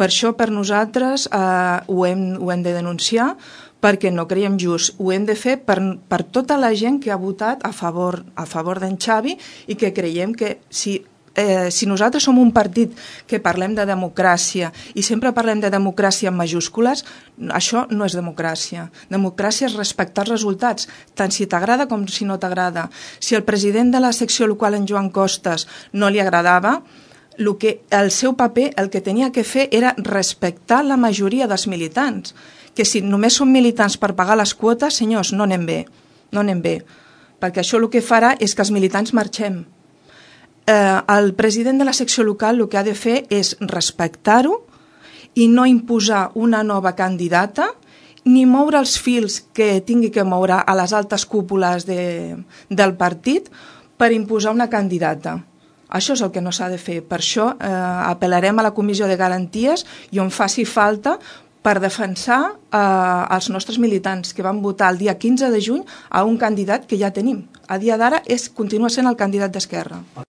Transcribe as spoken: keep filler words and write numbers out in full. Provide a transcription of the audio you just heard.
Per això, per nosaltres, eh, ho, hem, ho hem de denunciar, perquè no creiem just. Ho hem de fer per, per tota la gent que ha votat a favor, a favor d'en Xavi i que creiem que si Eh, si nosaltres som un partit que parlem de democràcia i sempre parlem de democràcia en majúscules, això no és democràcia. Democràcia és respectar els resultats, tant si t'agrada com si no t'agrada. Si el president de la secció local, en Joan Costas, no li agradava, el, que, el seu paper el que tenia que fer era respectar la majoria dels militants. Que si només són militants per pagar les quotes, senyors, no anem bé, no anem bé, perquè això el que farà és que els militants marxem. Eh, el president de la secció local el que ha de fer és respectar-ho i no imposar una nova candidata ni moure els fils que tingui que moure a les altes cúpules de, del partit per imposar una candidata. Això és el que no s'ha de fer. Per això eh, apel·larem a la Comissió de Garanties i on faci falta per defensar eh, els nostres militants que van votar el dia quinze de juny a un candidat que ja tenim. A dia d'ara és continua sent el candidat d'Esquerra.